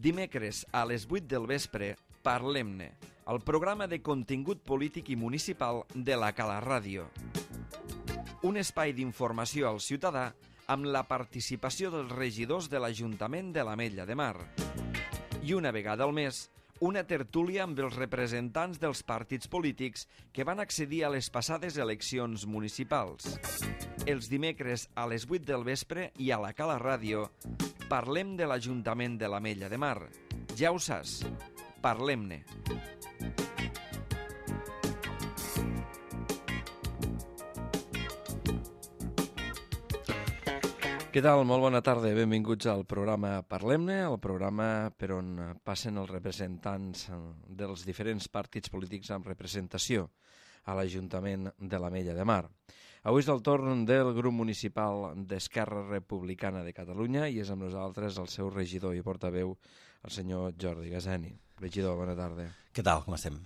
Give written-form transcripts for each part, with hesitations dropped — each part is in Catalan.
Dimecres a les 8 del vespre, Parlem-ne, el programa de contingut polític i municipal de la Cala Ràdio. Un espai d'informació al ciutadà amb la participació dels regidors de l'Ajuntament de l'Ametlla de Mar. I una vegada al mes, una tertúlia amb els representants dels partits polítics que van accedir a les passades eleccions municipals. Els dimecres a les 8 del vespre i a la Cala Ràdio parlem de l'Ajuntament de l'Ametlla de Mar. Ja ho saps, parlem-ne. Què tal? Molt bona tarda. Benvinguts al programa Parlem-ne, el programa per on passen els representants dels diferents partits polítics amb representació a l'Ajuntament de l'Ametlla de Mar. Avui és el torn del grup municipal d'Esquerra Republicana de Catalunya i és amb nosaltres el seu regidor i portaveu, el senyor Jordi Gasani. Regidor, bona tarda. Què tal? Com estem?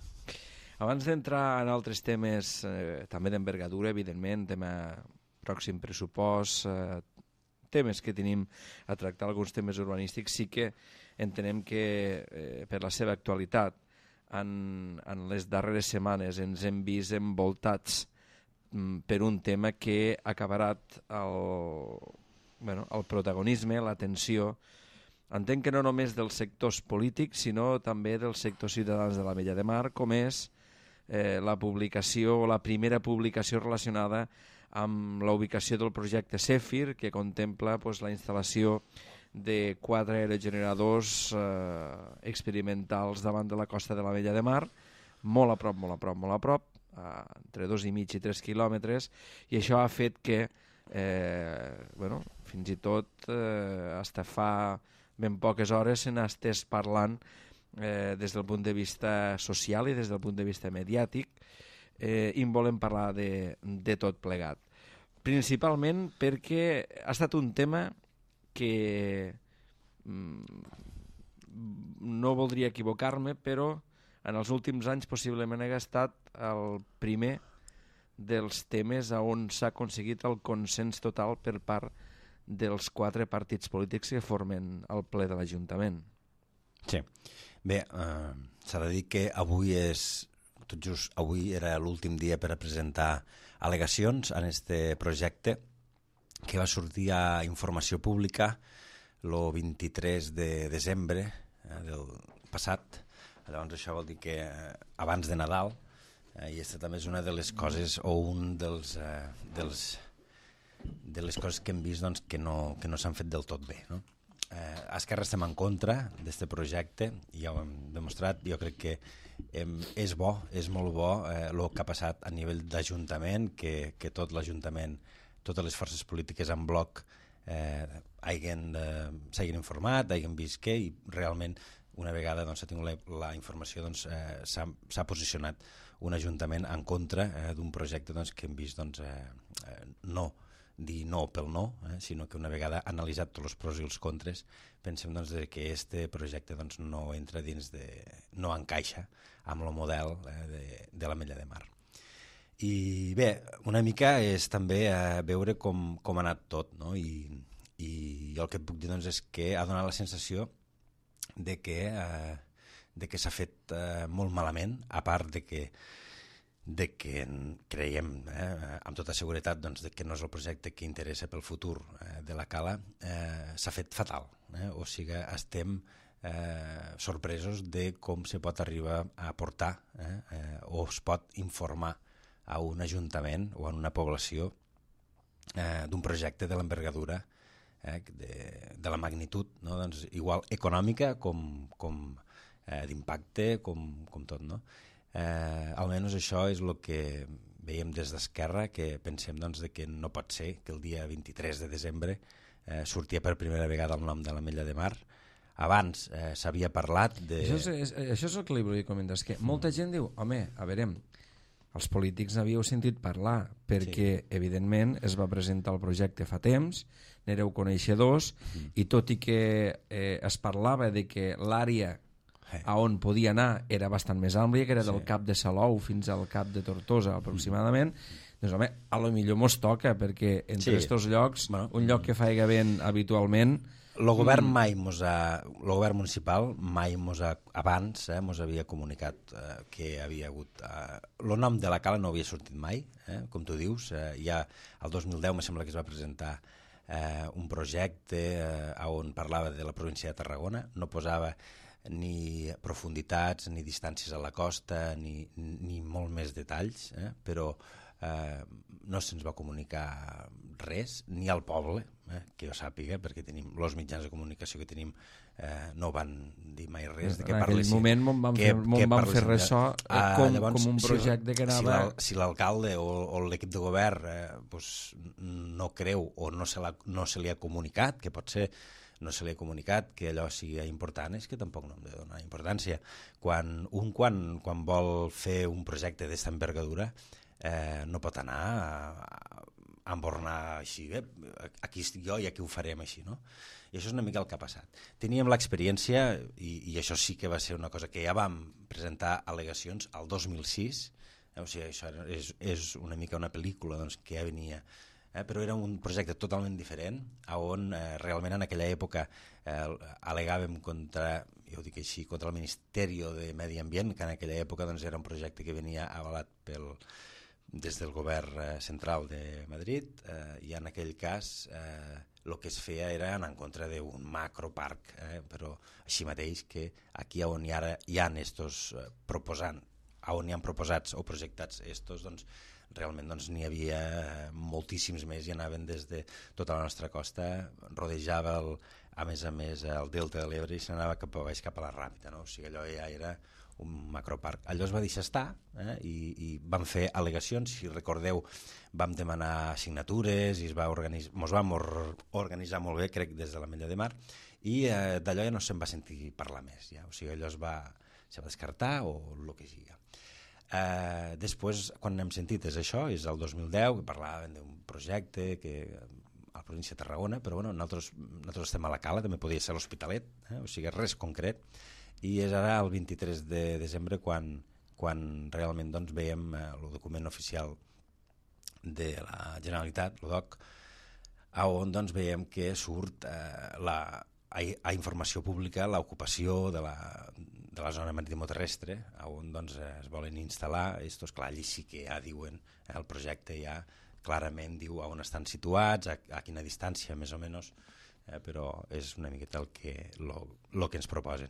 Abans d'entrar en altres temes, també d'envergadura, evidentment, tema pròxim pressupost, temes que tenim a tractar, alguns temes urbanístics, sí que entenem que per la seva actualitat en les darreres setmanes ens hem vist envoltats per un tema que ha acabarat el protagonisme, l'atenció, entenc que no només dels sectors polítics, sinó també dels sectors ciutadans de l'Ametlla de Mar, com és la publicació, la primera publicació relacionada amb la ubicació del projecte Zèfir, que contempla la instal·lació de 4 aerogeneradors experimentals davant de la costa de l'Ametlla de Mar, molt a prop, entre 2,5 i 3 quilòmetres, i això ha fet que fins i tot fins fa ben poques hores se n'estés parlant des del punt de vista social i des del punt de vista mediàtic, i en volem parlar de tot plegat. Principalment perquè ha estat un tema que no voldria equivocar-me, però en els últims anys possiblement ha estat el primer dels temes on s'ha aconseguit el consens total per part dels 4 partits polítics que formen el ple de l'Ajuntament. Sí. Bé, s'ha de dir que avui tot just avui era l'últim dia per a presentar al·legacions en este projecte que va sortir a informació pública el 23 de desembre del passat. Llavors això vol dir que abans de Nadal, i aquesta també és una de les coses o un de les coses que hem vist que no s'han fet del tot bé, no? A Esquerra estem en contra d'aquest projecte i ja ho hem demostrat. Jo crec que és bo, és molt bo el que ha passat a nivell d'Ajuntament, que tot l'Ajuntament, totes les forces polítiques en bloc s'hagin informat, hagin vist què, i realment una vegada s'ha tingut la informació s'ha posicionat un Ajuntament en contra d'un projecte que hem vist no dir no pel no, sinó que una vegada analitzat tots els pros i els contres pensem que aquest projecte no entra no encaixa amb el model de l'Ametlla de Mar. I bé, una mica és també veure com ha anat tot, no? I el que et puc dir és que ha donat la sensació de que s'ha fet molt malament, a part de que creiem amb tota seguretat que no és el projecte que interessa pel futur de la Cala, s'ha fet fatal. O sigui, estem sorpresos de com se pot arribar a portar o es pot informar a un ajuntament o a una població d'un projecte de l'envergadura, de la magnitud, igual econòmica com d'impacte, com tot, no? Almenys això és el que veiem des d'Esquerra, que pensem que no pot ser que el dia 23 de desembre sortia per primera vegada el nom de l'Ametlla de Mar. Abans s'havia parlat de... Això és el que li volia comentar, és que molta gent diu, home, a veure, els polítics n'havíeu sentit parlar, perquè evidentment es va presentar el projecte fa temps, n'éreu coneixedors, i tot i que es parlava de que l'àrea a on podia anar era bastant més àmplia, que era del Cap de Salou fins al Cap de Tortosa aproximadament, doncs home, a lo millor mos toca, perquè entre aquests llocs, un lloc que faiga vent habitualment el govern mai el govern municipal mai abans mos havia comunicat que havia hagut... El nom de la cala no havia sortit mai, com tu dius. Ja el 2010 me sembla que es va presentar un projecte on parlava de la província de Tarragona, no posava ni profunditats, ni distàncies a la costa, ni molt més detalls, però no se'ns va comunicar res, ni al poble, que jo sàpiga, perquè tenim els mitjans de comunicació que tenim no van dir mai res. En aquell moment vam fer ressò com un projecte que anava... Si l'alcalde o l'equip de govern no creu o no se li ha comunicat, que pot ser no se li ha comunicat que allò sigui important, és que tampoc no hem de donar importància. Quan vol fer un projecte d'esta envergadura no pot anar a embornar així, aquí estic jo i aquí ho farem així, no? I això és una mica el que ha passat. Teníem l'experiència, i això sí que va ser una cosa que ja vam presentar al·legacions al 2006, o sigui, això és una mica una pel·lícula que ja venia, però era un projecte totalment diferent, on realment en aquella època al·legàvem contra, jo ho dic així, contra el Ministeri de Medi Ambient, que en aquella època era un projecte que venia avalat des del govern central de Madrid, i en aquell cas el que es feia era anar en contra d'un macroparc, però així mateix que aquí on ara hi ha estos proposant, on hi ha proposats o projectats estos, realment n'hi havia moltíssims més i anaven des de tota la nostra costa, rodejava a més el delta de l'Ebre i s'anava cap a baix, cap a la Ràpita, no? O sigui, allò ja era un macroparc. Allò es va deixar estar i vam fer al·legacions, si recordeu vam demanar signatures i mos vam organitzar molt bé, crec, des de l'Ametlla de Mar, i d'allò ja no se'n va sentir parlar més, ja. O sigui, allò se va descartar o el que sigui. Després, quan n'hem sentit és això, és el 2010, que parlàvem d'un projecte que a la província de Tarragona, però bueno, nosaltres estem a la Cala, també podria ser l'Hospitalet, o sigui, res concret, i és ara el 23 de desembre quan realment veiem el document oficial de la Generalitat, el DOC, on veiem que surt a informació pública l'ocupació de la zona maritimoterrestre, on es volen instal·lar. Clar, allí sí que ja diuen, el projecte ja clarament diu on estan situats, a quina distància més o menys, però és una miqueta el que ens proposen.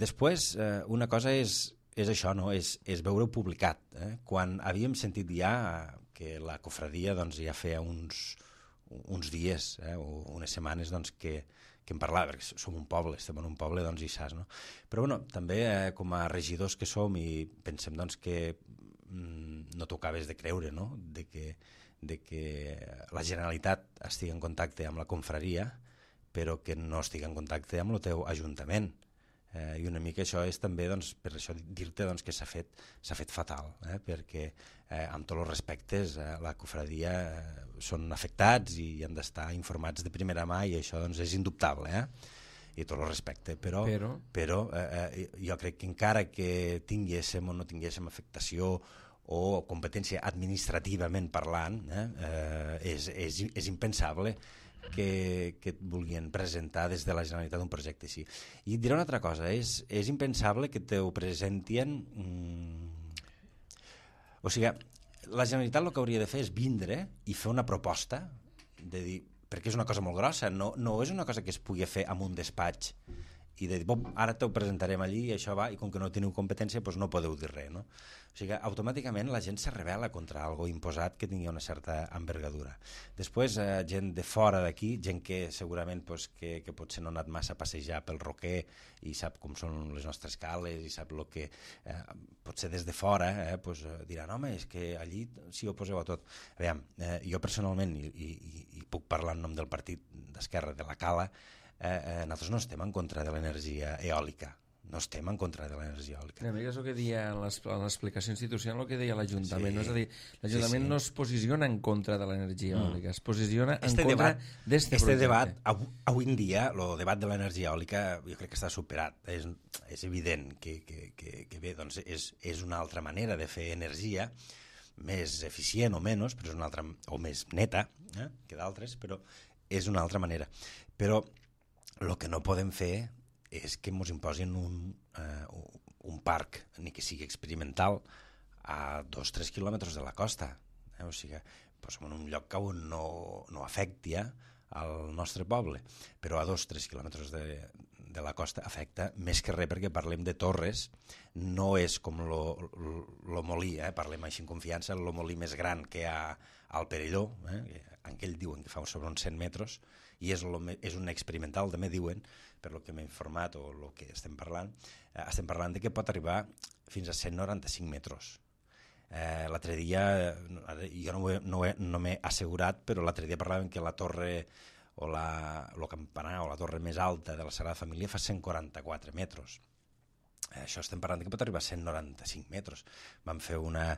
Després, una cosa és això, no? És veure-ho publicat. Quan havíem sentit ja que la cofradia ja feia uns dies o unes setmanes que en parlava, perquè som un poble, estem en un poble i saps, no? Però bueno, també com a regidors que som i pensem que no t'ho acabes de creure, no? De que la Generalitat estigui en contacte amb la confraria, però que no estigui en contacte amb el teu ajuntament. I una mica això és també per això dir-te que s'ha fet fatal, perquè amb tots els respectes la cofradia són afectats i han d'estar informats de primera mà i això és indubtable, i tot el respecte, però jo crec que encara que tinguéssim o no tinguéssim afectació o competència administrativament parlant, és impensable que et vulguin presentar des de la Generalitat un projecte així. I et diré una altra cosa, és impensable que t'ho presentien... O sigui, la Generalitat el que hauria de fer és vindre i fer una proposta, de dir, perquè és una cosa molt grossa, no és una cosa que es pugui fer en un despatx i de dir, ara t'ho presentarem allí i això va, i com que no teniu competència doncs no podeu dir res, no? O sigui, automàticament la gent se rebel·la contra algo imposat que tingui una certa envergadura. Després, gent de fora d'aquí, gent que segurament que potser no ha anat massa a passejar pel Roquer i sap com són les nostres cales i sap el que potser des de fora diran, home, és que allí sí ho poseu a tot. Aviam, jo personalment, i puc parlar en nom del partit d'Esquerra de la Cala, nosaltres no estem en contra de l'energia eòlica, no estem en contra de l'energia eòlica. Una mica és el que deia en l'explicació institucional, el que deia l'Ajuntament, no? És a dir, l'Ajuntament no es posiciona en contra de l'energia eòlica, es posiciona en contra d'este projecte. Debat, avui en dia, el debat de l'energia eòlica jo crec que està superat. És evident que bé, doncs és una altra manera de fer energia, més eficient o menys, però és una altra, o més neta que d'altres, però és una altra manera. Però el que no podem fer és que ens imposin un parc, ni que sigui experimental, a 2-3 quilòmetres de la costa. O sigui, en un lloc on no afecti al nostre poble, però a 2-3 quilòmetres de la costa afecta més que res, perquè parlem de torres, no és com lo molí, parlem així en confiança, el molí més gran que hi ha al Perelló, en què ell diuen que fa sobre uns 100 metres, i és un experimental, també diuen, per lo que m'he informat o el que estem parlant de que pot arribar fins a 195 metres. L'altre dia, jo no m'he assegurat, però l'altre dia parlaven que la torre o el campanar o la torre més alta de la Sagrada Família fa 144 metres. Això estem parlant que pot arribar a 195 metres. Vam fer una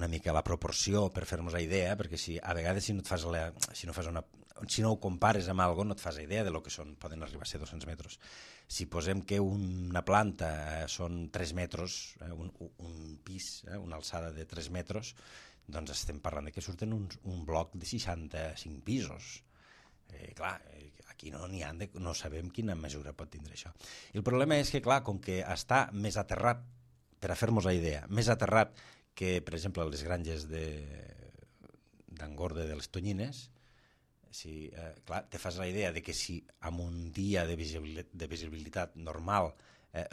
mica la proporció per fer-nos la idea, perquè a vegades si no ho compares amb alguna cosa no et fas idea de lo que poden arribar a ser 200 metres. Si posem que una planta són 3 metres, un pis, una alçada de 3 metres, doncs estem parlant que surten un bloc de 65 pisos. Clar, aquí no sabem quina mesura pot tindre això. I el problema és que, clar, com que està més aterrat, per a fer-nos la idea, més aterrat que, per exemple, les granges d'Angorde de les Tonyines, clar, te fas la idea de que si en un dia de visibilitat normal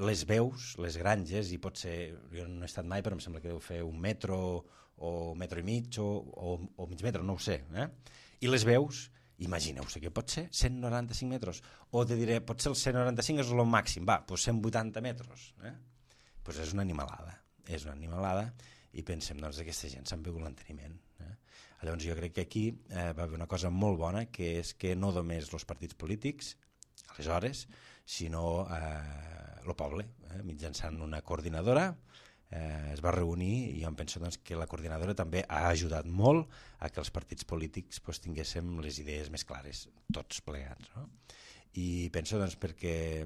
les veus, les granges, i pot ser, jo no he estat mai, però em sembla que deu fer 1 metre o 1,5 metres o mig metre, no ho sé, i les veus, imagineu-se que pot ser 195 metres, o te diré, potser el 195 és el màxim, doncs 180 metres, doncs és una animalada, i pensem doncs, que aquesta gent se'n veu l'enteniment. Llavors jo crec que aquí va haver una cosa molt bona, que és que no només els partits polítics, aleshores, sinó el poble, mitjançant una coordinadora, es va reunir, i jo em penso doncs, que la coordinadora també ha ajudat molt a que els partits polítics tinguéssim les idees més clares, tots plegats. No? I penso doncs, perquè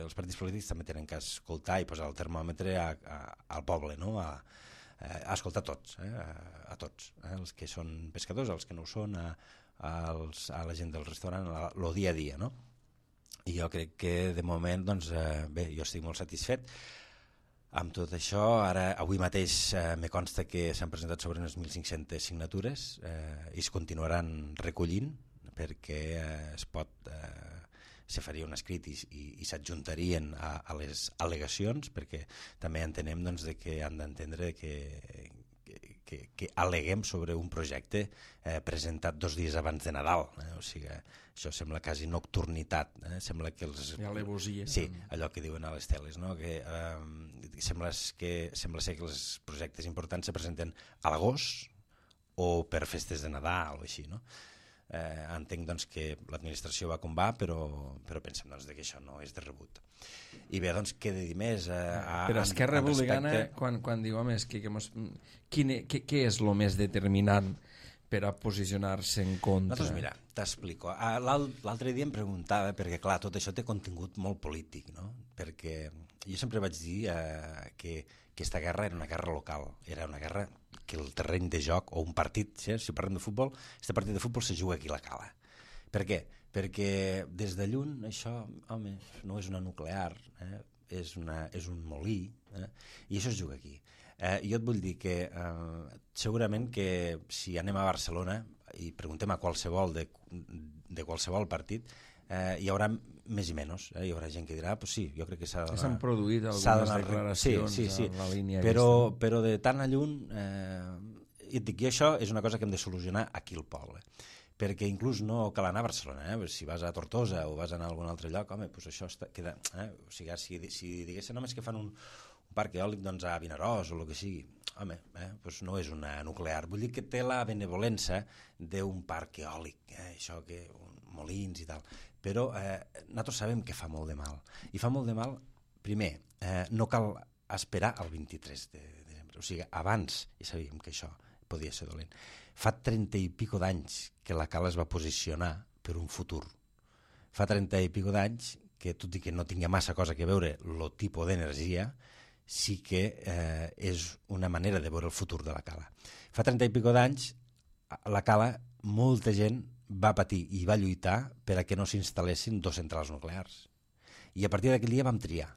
els partits polítics també tenen que escoltar i posar el termòmetre al poble, no? a escoltar tots, a tots, els que són pescadors, els que no ho són, a la gent del restaurant, el dia a dia. No? I jo crec que de moment, doncs, bé, jo estic molt satisfet amb tot això. Ara, avui mateix me consta que s'han presentat sobre unes 1.500 signatures i es continuaran recollint, perquè se faria un escrit i s'adjuntarien a les al·legacions, perquè també entenem doncs, que han d'entendre que al·leguem sobre un projecte presentat 2 dies abans de Nadal. O sigui, això sembla quasi nocturnitat. Sembla que alevosia. Sí, allò que diuen a les teles, no? Que sembla ser que els projectes importants se presenten a l'agost o per festes de Nadal o així, no? Entenc doncs, que l'administració va com va, però pensem doncs, que això no és de rebut. I bé, doncs, què de dir més? Però Esquerra Republicana, quan diu, home, què és el més determinant per a posicionar-se en contra? Doncs mira, t'explico. L'altre dia em preguntava, perquè clar, tot això té contingut molt polític, no? Perquè jo sempre vaig dir que aquesta guerra era una guerra local, era una guerra que el terreny de joc, o un partit, si parlem de futbol, aquest partit de futbol se juga aquí a la Cala. Per què? Perquè des de lluny això, home, no és una nuclear, és un molí, i això es juga aquí. Jo et vull dir que segurament que si anem a Barcelona i preguntem a qualsevol de qualsevol partit, hi haurà més i menys, hi haurà gent que dirà, pues sí, jo crec que s'ha de donar... S'han produït algunes declaracions sí. en la línia però de tan a lluny, i et dic, i això és una cosa que hem de solucionar aquí al poble, perquè inclús no cal anar a Barcelona, si vas a Tortosa o vas a anar a algun altre lloc, home, pues això queda... O sigui, si diguessin només que fan un parc eòlic doncs, a Vinaròs o el que sigui, home, pues no és una nuclear, vull dir que té la benevolència d'un parc eòlic, això que molins i tal, però nosaltres sabem que fa molt de mal, i fa molt de mal, primer, no cal esperar al 23 de desembre, o sigui, abans ja sabíem que això podia ser dolent. Fa 30 i pico d'anys que la Cala es va posicionar per un futur. Fa 30 i pico d'anys que, tot i que no tingui massa cosa que veure el tipus d'energia, sí que és una manera de veure el futur de la Cala. Fa 30 i pico d'anys, la Cala, molta gent va patir i va lluitar per a que no s'instal·lessin 2 centrals nuclears. I a partir d'aquell dia vam triar.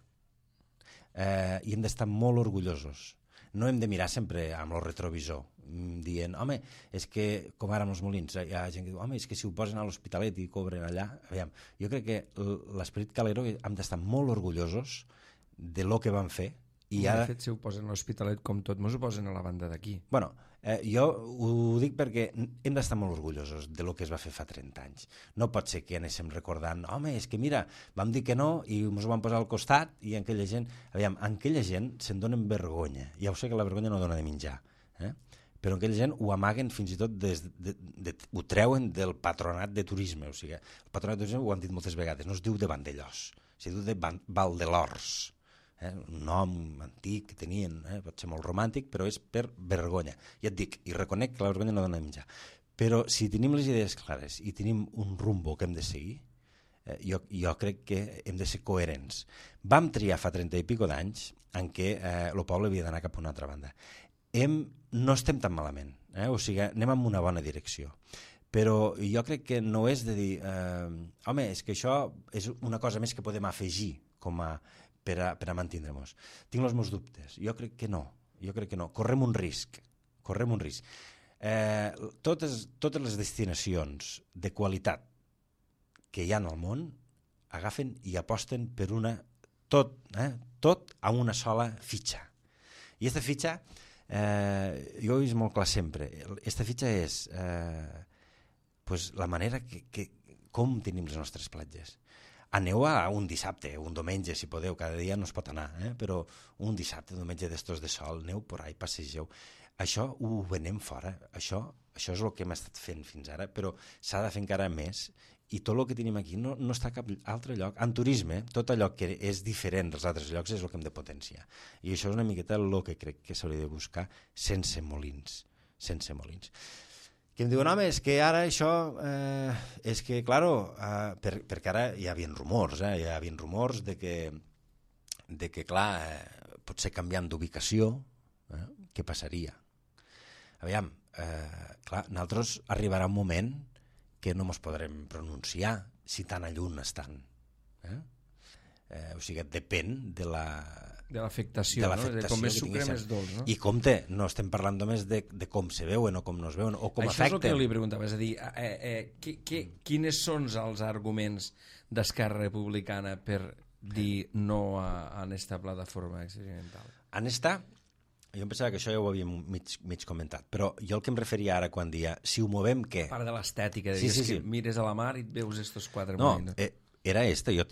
I hem d'estar molt orgullosos. No hem de mirar sempre amb el retrovisor, dient, home, és que, com ara amb els molins, hi ha gent que diu, home, és que si ho posen a l'Hospitalet i cobren allà... Aviam, jo crec que l'esperit calero hem d'estar molt orgullosos de lo que van fer. I ara... De fet, si ho posen a l'Hospitalet com tot, mos ho posen a la banda d'aquí. Bueno, jo ho dic perquè hem d'estar molt orgullosos de lo que es va fer fa 30 anys. No pot ser que anéssim recordant, home, és que mira, vam dir que no i ens ho vam posar al costat i aquella gent... Aviam, aquella gent se'n donen vergonya. Ja ho sé que la vergonya no dona de menjar, però aquella gent ho amaguen fins i tot, ho treuen del patronat de turisme. O sigui, el patronat de turisme ho han dit moltes vegades, no es diu de Vandellós, es diu de Valdelors. Un nom antic que tenien, pot ser molt romàntic, però és per vergonya. Ja et dic, i reconec que la vergonya no dona de menjar. Però si tenim les idees clares i tenim un rumbo que hem de seguir, jo crec que hem de ser coherents. Vam triar fa 30 i pico d'anys en què el poble havia d'anar cap a una altra banda. No estem tan malament, o sigui, anem en una bona direcció. Però jo crec que no és de dir, home, és que això és una cosa més que podem afegir per a mantindre-nos. Tinc els meus dubtes. Jo crec que no. Correm un risc. Totes les destinacions de qualitat que hi ha al món agafen i aposten per tot a una sola fitxa. I aquesta fitxa, jo ho he vist molt clar sempre, aquesta fitxa és la manera com tenim les nostres platges. Aneu a un dissabte, un diumenge, si podeu, cada dia no es pot anar, però un dissabte, un diumenge d'estos de sol, aneu por ahí, passegeu. Això ho venem fora, això és el que hem estat fent fins ara, però s'ha de fer encara més, i tot el que tenim aquí no està a cap altre lloc. En turisme, tot allò que és diferent dels altres llocs és el que hem de potenciar. I això és una miqueta el que crec que s'hauria de buscar sense molins. Que em diuen, home, és que ara això, és que, claro, perquè ara hi havia rumors, de que, clar, potser canviant d'ubicació, què passaria? Aviam, clar, nosaltres arribarà un moment que no ens podrem pronunciar si tan a lluny estan. O sigui, depèn de l'afectació, de com més sucre, més dolç. No? I compte, no estem parlant només de com se veuen o com no es veuen o com afecten. Això és el que jo li preguntava, és a dir, quines són els arguments d'Esquerra Republicana per dir no a aquesta plataforma experimental? En esta, jo em pensava que això ja ho havíem mig comentat, però jo el que em referia ara quan dia, si ho movem, què? A part de l'estètica, que mires a la mar i et veus estos 4 molins. No, era jo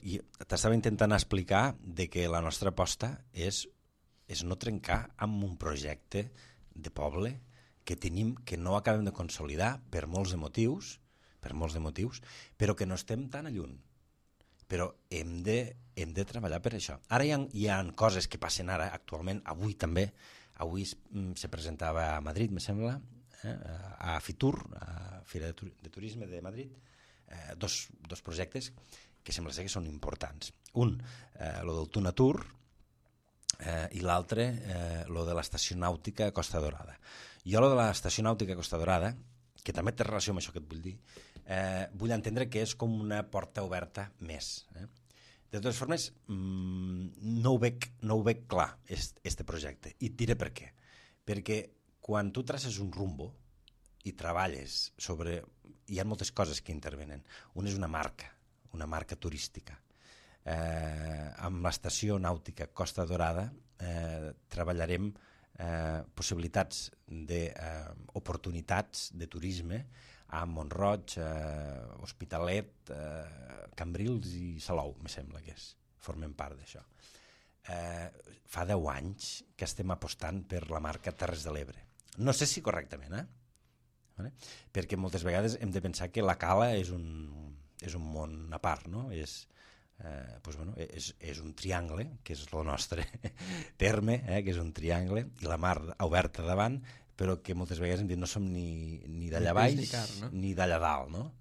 t'estava intentant explicar de que la nostra aposta és no trencar amb un projecte de poble que tenim, que no acabem de consolidar per molts de motius, però que no estem tan a lluny. Però hem de treballar per això. Ara hi ha coses que passen ara, actualment, avui també, se presentava a Madrid, me sembla, a Fitur, a Fira de Turisme de Madrid, dos projectes que sembla ser que són importants. Un, lo del Tunatur, i l'altre, lo de l'estació nàutica Costa Dorada. Jo lo de l'estació nàutica Costa Dorada, que també té relació amb això que et vull dir, vull entendre que és com una porta oberta més. De totes formes, no ho veig clar, este projecte, i et diré per què. Perquè quan tu traces un rumbo i treballes sobre... Hi ha moltes coses que intervenen. Una és una marca turística. Amb l'estació nàutica Costa Dorada treballarem possibilitats d'oportunitats de turisme a Mont-roig, Hospitalet, Cambrils i Salou, me sembla que formen part d'això. Fa 10 anys que estem apostant per la marca Terres de l'Ebre. No sé si correctament, perquè moltes vegades hem de pensar que la cala és un món a part, no? És un triangle, que és el nostre terme, que és un triangle, i la mar oberta davant, però que moltes vegades hem dit no som ni d'allà baix ni d'allà dalt, no?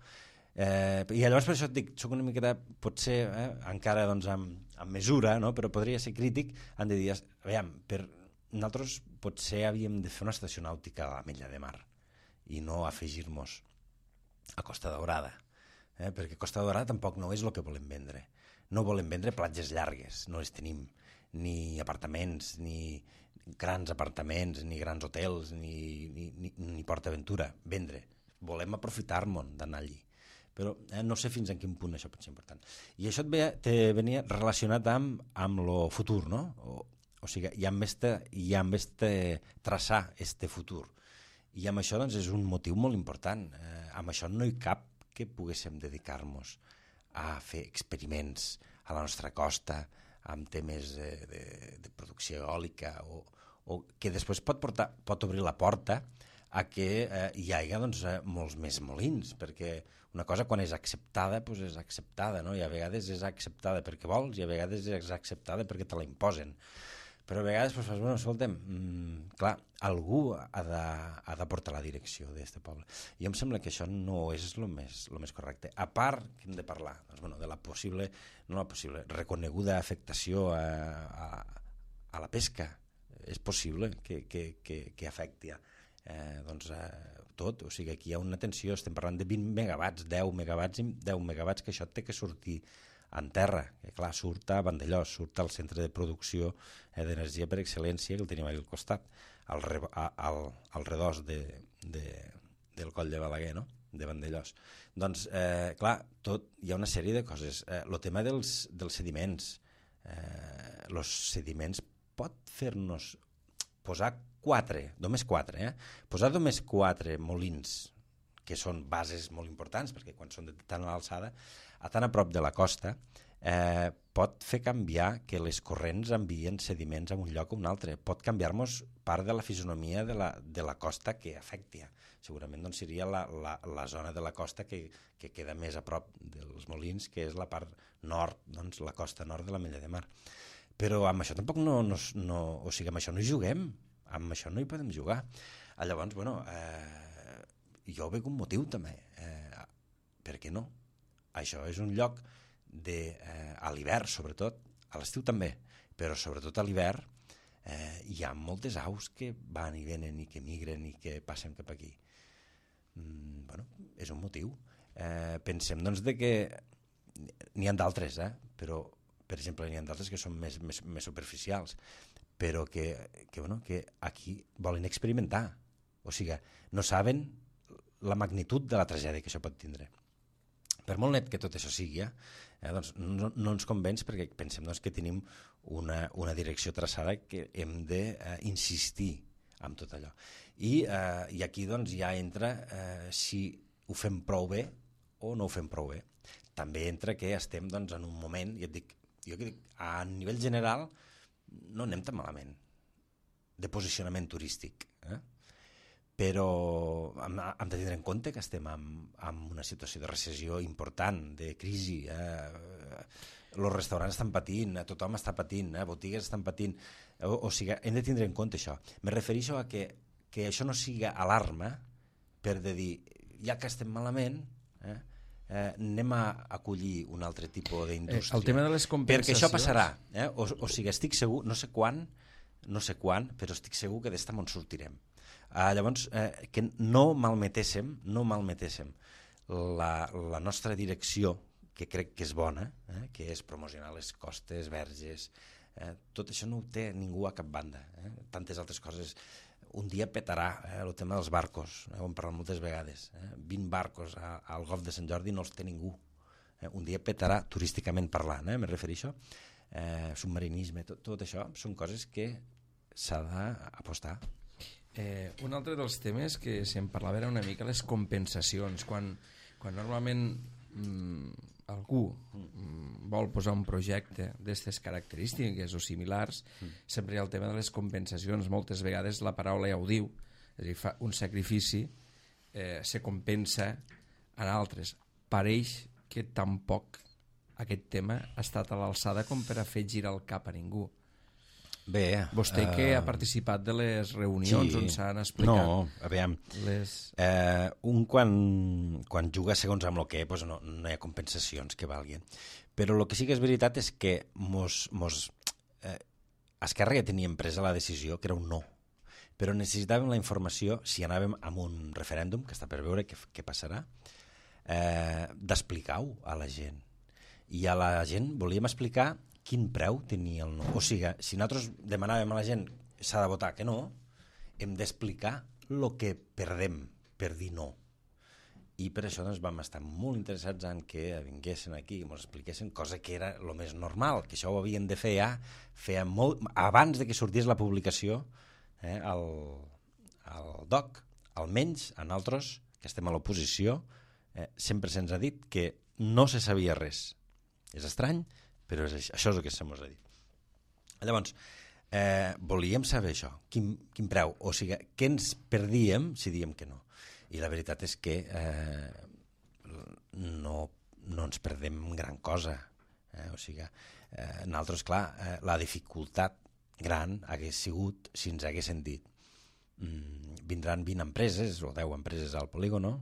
I llavors per això et dic, soc una miqueta, potser encara amb mesura, però podria ser crític, han de dir, aviam, nosaltres potser havíem de fer una estació nàutica a la Mella de Mar i no afegir-nos a Costa Daurada, perquè Costa Daurada tampoc no és el que volem vendre. No volem vendre platges llargues, no les tenim, ni apartaments, ni grans apartaments, ni grans hotels, ni PortAventura, vendre. Volem aprofitar-nos d'anar allí. Però no sé fins en quin punt això pot ser important. I això te venia relacionat amb lo futur, no? O sigui, ja hem de traçar este futur. I amb això doncs, és un motiu molt important. Amb això no hi cap que poguéssim dedicar-nos a fer experiments a la nostra costa amb temes de producció eòlica o que després pot obrir la porta a que hi hagi doncs, molts més molins, perquè una cosa quan és acceptada doncs és acceptada, no? I a vegades és acceptada perquè vols i a vegades és acceptada perquè te la imposen. Però a vegades doncs, fas, bueno, escolta'm, clar, algú ha de portar la direcció d'aquest poble. I em sembla que això no és el més correcte. A part que hem de parlar doncs, bueno, de la possible, reconeguda afectació a la pesca. És possible que afecti doncs, tot, o sigui, aquí hi ha una tensió, estem parlant de 20 megawatts, 10 megawatts, que això té que sortir en terra, que clar, surt a Vandellòs, surt al centre de producció d'energia per excel·lència, que el tenim allà al costat, al redós del coll de Balaguer, no? De Vandellòs. Doncs, clar, hi ha una sèrie de coses. El tema dels sediments, els sediments pot fer-nos posar només 4, posar només 4 molins, que són bases molt importants, perquè quan són de tan a l'alçada, tan a prop de la costa, pot fer canviar que les corrents envien sediments a un lloc o un altre. Pot canviar-nos part de la fisonomia de la costa que afecti. Segurament doncs, seria la zona de la costa que queda més a prop dels molins, que és la part nord, doncs, la costa nord de l'Ametlla de Mar. Però amb això tampoc o sigui, amb això no hi juguem, amb això no hi podem jugar. Llavors, bueno, jo veig un motiu també. Per què no? Això és un lloc a l'hivern, sobretot, a l'estiu també, però sobretot a l'hivern hi ha moltes aus que van i venen i que migren i que passen cap aquí. Bueno, és un motiu. Pensem, doncs, que n'hi ha d'altres, però, per exemple, n'hi ha d'altres que són més superficials, però que aquí volen experimentar. O sigui, no saben la magnitud de la tragèdia que això pot tindre. Per molt net que tot això sigui, doncs no ens convenç perquè pensem doncs, que tenim una direcció traçada que hem d'insistir en tot allò. I aquí doncs, ja entra si ho fem prou bé o no ho fem prou bé. També entra que estem doncs, en un moment, jo dic, a nivell general no anem tan malament de posicionament turístic, però hem de tenir en compte que estem en una situació de recessió important, de crisi, els restaurants estan patint, tothom està patint, botigues estan patint, o sigui, hem de tindre en compte això. Me refereixo a que això no siga alarma per dir, ja que estem malament, anem a acollir un altre tipus d'indústria. El tema de les compensacions... Perquè això passarà. O sigui, estic segur, no sé quan, però estic segur que d'esta en sortirem. Llavors, que no malmetéssim la nostra direcció, que crec que és bona, que és promocionar les costes verges, tot això no ho té ningú a cap banda. Tantes altres coses. Un dia petarà el tema dels barcos, ho hem parlat moltes vegades. 20 barcos al Golf de Sant Jordi no els té ningú. Un dia petarà turísticament parlant, me refereixo. Submarinisme, tot això són coses que s'ha d'apostar. Un altre dels temes que se'n parlava era una mica les compensacions. Quan normalment algú vol posar un projecte d'aquestes característiques o similars, sempre hi ha el tema de les compensacions. Moltes vegades la paraula ja ho diu, és a dir, fa un sacrifici se compensa en altres. Pareix que tampoc aquest tema ha estat a l'alçada com per a fer girar el cap a ningú. Bé, vostè que ha participat de les reunions on s'han explicat... No, aviam, quan juga segons amb el que doncs no hi ha compensacions que valguin. Però el que sí que és veritat és que Esquerra ja teníem presa la decisió que era un no, però necessitàvem la informació si anàvem amb un referèndum, que està per veure què passarà, d'explicar-ho a la gent. I a la gent volíem explicar quin preu tenia el no. O sigui, si nosaltres demanàvem a la gent s'ha de votar que no, hem d'explicar el que perdem per dir no. I per això doncs, vam estar molt interessats en que vinguessin aquí i ens expliquessin, cosa que era el més normal, que això ho havien de fer ja feia molt, abans de que sortís la publicació al DOC. Almenys a nosaltres, que estem a l'oposició, sempre se'ns ha dit que no se sabia res. És estrany, però això és el que se'ns ha dit. Llavors, volíem saber això, quin preu, o sigui, què ens perdíem si diem que no. I la veritat és que no ens perdem gran cosa. O sigui, nosaltres, clar, la dificultat gran hagués sigut si ens haguessin dit vindran 20 empreses o 10 empreses al polígono,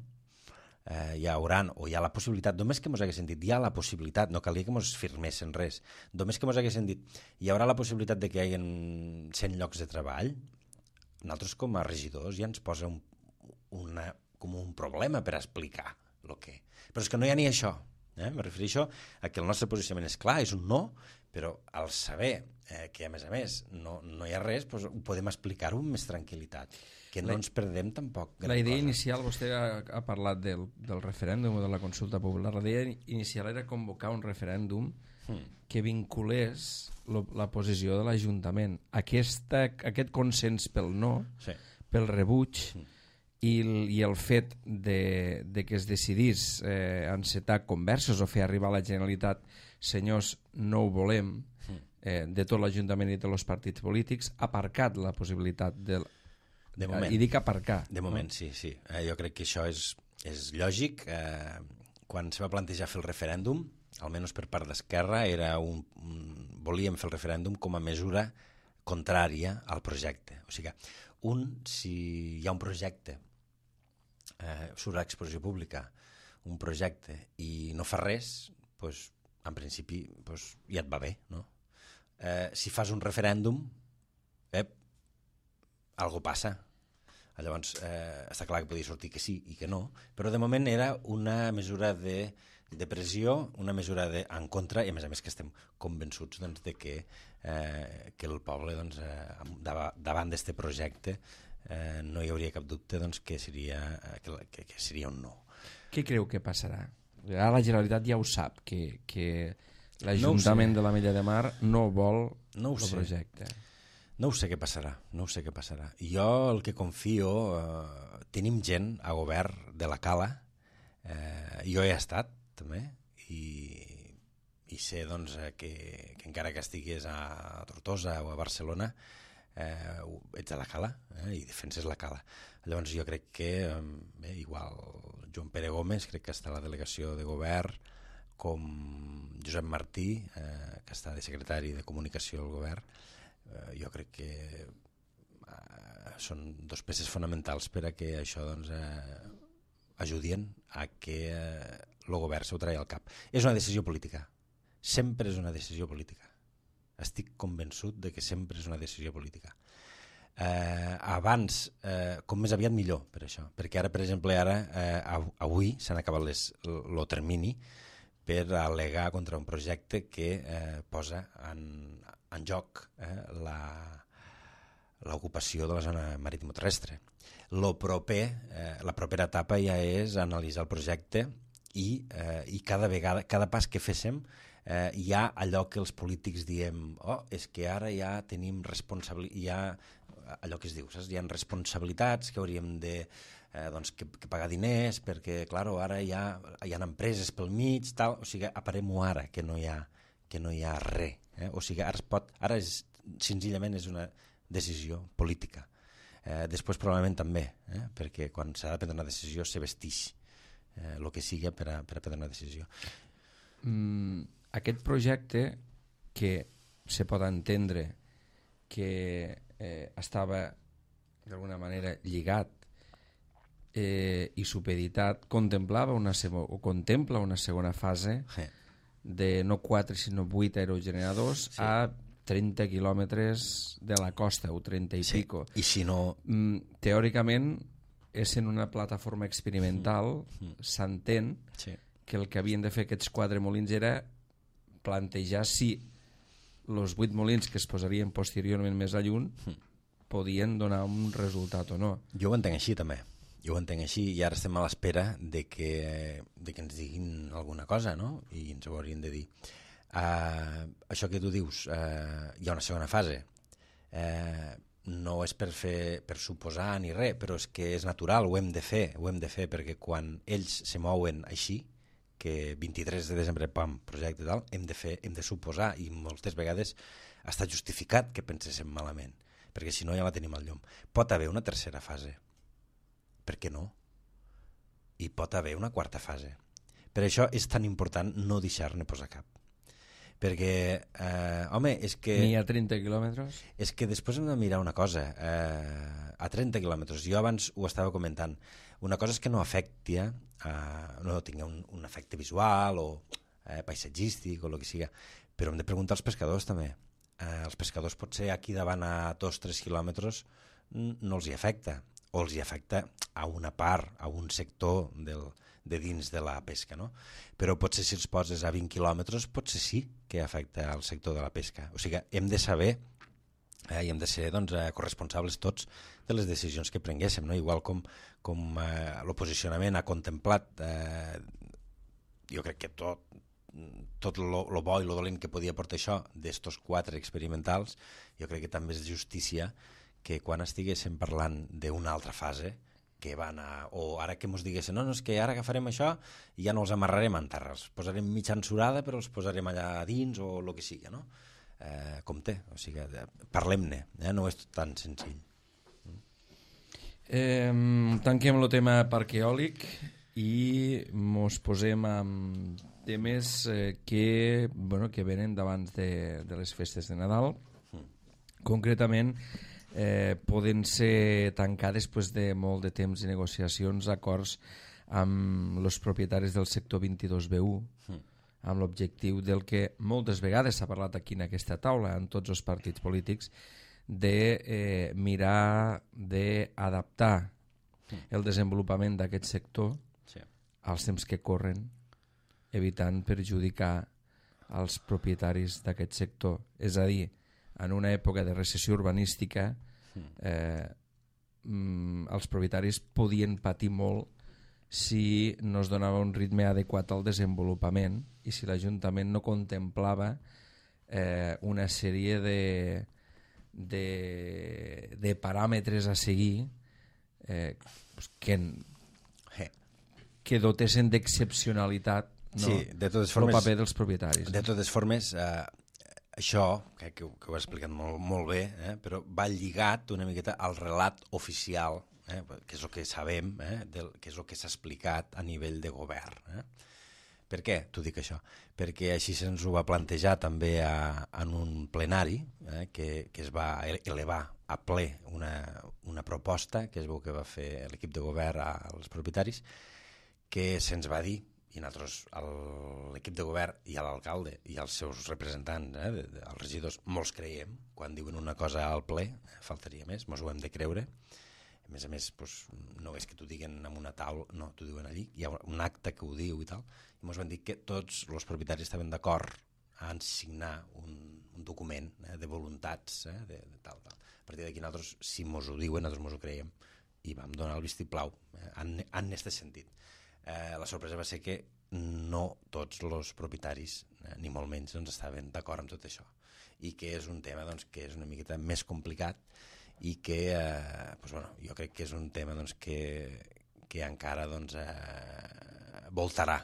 hi hauran, o hi ha la possibilitat, només que ens haguessin dit, hi ha la possibilitat, no calia que ens firmessin res, només que ens haguessin dit, hi haurà la possibilitat de que hi hagi 100 llocs de treball, nosaltres com a regidors ja ens posa com un problema per explicar el que... Però és que no hi ha ni això. Me refereixo a que el nostre posicionament és clar, és un no, però al saber que a més no hi ha res, doncs ho podem explicar-ho amb més tranquil·litat, que no ens perdem tampoc. La idea inicial, vostè ha parlat del referèndum o de la consulta popular, la idea inicial era convocar un referèndum que vinculés la posició de l'Ajuntament. Aquest consens pel no, pel rebuig, i el fet de que es decidís encetar converses o fer arribar a la Generalitat, senyors, no ho volem, de tot l'Ajuntament i de tots els partits polítics, ha aparcat la possibilitat de moment. I dic aparcar. De moment, sí. Jo crec que això és lògic. Quan se va plantejar fer el referèndum, almenys per part d'Esquerra, volíem fer el referèndum com a mesura contrària al projecte. O sigui, si hi ha un projecte, surt a l'exposició pública un projecte i no fa res, doncs, en principi ja et va bé, no? Si fas un referèndum, algo passa. Llavors, està clar que podia sortir que sí i que no, però de moment era una mesura de pressió, una mesura en contra, i a més que estem convençuts de que el poble, davant d'aquest projecte, no hi hauria cap dubte que seria un no. Què creu que passarà? Ara la Generalitat ja ho sap, que l'Ajuntament de l'Ametlla de Mar no vol el projecte. No ho sé què passarà. Jo el que confio, tenim gent a govern de la Cala, jo he estat també, i sé que encara que estigués a Tortosa o a Barcelona, ets a la Cala i defenses la Cala. Llavors jo crec que igual Joan Pere Gómez, crec que està a la delegació de govern, com Josep Martí, que està de secretari de comunicació del govern, jo crec que són dos peces fonamentals per a que això ajudin a que el govern s'ho tregui al cap. És una decisió política, sempre és una decisió política. Estic convençut de que sempre és una decisió política. Abans, com més aviat millor per això, perquè ara, per exemple, avui s'han acabat el termini per al·legar contra un projecte que posa en joc l'ocupació de la zona maritimoterrestre. La propera etapa ja és analitzar el projecte i cada pas que féssim hi ha allò que els polítics diem és que ara ja tenim allò que es diu, saps? Hi ha responsabilitats que hauríem de que pagar diners perquè, clar, ara hi ha empreses pel mig, tal, o sigui, aparem-ho ara, que no hi ha res. O sigui, ara senzillament és una decisió política. Després probablement també, perquè quan s'ha de prendre una decisió se vestix el que sigui per a prendre una decisió. Aquest projecte, que se pot entendre que estava d'alguna manera lligat i supeditat, contempla una segona fase de no 4 sinó 8 aerogeneradors a 30 quilòmetres de la costa o 30 i pico. I si no... Teòricament essent una plataforma experimental, s'entén que el que havien de fer aquests 4 molins era plantejar si els 8 molins que es posarien posteriorment més a lluny podien donar un resultat o no. Jo ho entenc així també. Jo ho entenc així i ara estem a l'espera de que ens diguin alguna cosa, no? I ens ho haurien de dir. Això que tu dius, hi ha una segona fase. No és per suposar ni res, però és que és natural, ho hem de fer, perquè quan ells se mouen així, que 23 de desembre, pam, projecte i tal, hem de suposar, i moltes vegades ha estat justificat que penséssim malament, perquè si no ja la tenim al llom. Pot haver una tercera fase, per què no? I pot haver una quarta fase. Per això és tan important no deixar-ne posar cap. Perquè, home, és que... Ni a 30 quilòmetres? És que després hem de mirar una cosa. A 30 quilòmetres, jo abans ho estava comentant, una cosa és que no afecti, no tingui un efecte visual o paisatgístic o el que sigui, però hem de preguntar als pescadors també. Els pescadors potser aquí davant a 2-3 quilòmetres no els hi afecta, o els hi afecta a una part, a un sector de dins de la pesca, no? Però potser si els poses a 20 quilòmetres potser sí que afecta al sector de la pesca. O sigui, hem de saber i hem de ser corresponsables tots de les decisions que prenguéssim, no? Igual com el posicionament ha contemplat, jo crec que tot lo bo i lo dolent que podia portar això d'estos 4 experimentals, jo crec que també és justícia que quan estiguéssim parlant d'una altra fase, que van o ara que ens diguessin, no, és que ara agafarem això i ja no els amarrarem en terra, els posarem mitja ensurada però els posarem allà dins o el que sigui, no? Compte, o sigui, parlem-ne, no és tan senzill. Tanquem el tema parc eòlic i mos posem amb temes que venen d'abans de les festes de Nadal. Concretament, poden ser tancar després de molt de temps i negociacions acords amb els propietaris del sector 22B1 amb l'objectiu del que moltes vegades s'ha parlat aquí en aquesta taula en tots els partits polítics de mirar d'adaptar el desenvolupament d'aquest sector als temps que corren, evitant perjudicar als propietaris d'aquest sector, és a dir, en una època de recessió urbanística els propietaris podien patir molt si no es donava un ritme adequat al desenvolupament i si l'Ajuntament no contemplava una sèrie de paràmetres a seguir que dotessin d'excepcionalitat el paper dels propietaris. De totes formes, això, que ho has explicat molt bé, però va lligat una miqueta al relat oficial, que és el que sabem, que és el que s'ha explicat a nivell de govern. Per què t'ho dic això? Perquè així se'ns ho va plantejar també en un plenari que es va elevar a ple una proposta que es veu que va fer l'equip de govern als propietaris, que se'ns va dir, i nosaltres, l'equip de govern i l'alcalde i els seus representants, els regidors, molts creiem, quan diuen una cosa al ple, faltaria més, mos ho hem de creure. A més, no és que t'ho diguen en una taula, no, t'ho diuen allí, hi ha un acte que ho diu i tal, i mos van dir que tots els propietaris estaven d'acord en signar un document de voluntats, de tal. A partir d'aquí nosaltres, si mos ho diuen, nosaltres mos ho creiem, i vam donar el vistiplau en aquest sentit. La sorpresa va ser que no tots els propietaris, ni molt menys, estaven d'acord amb tot això, i que és un tema que és una miqueta més complicat i que jo crec que és un tema que encara voltarà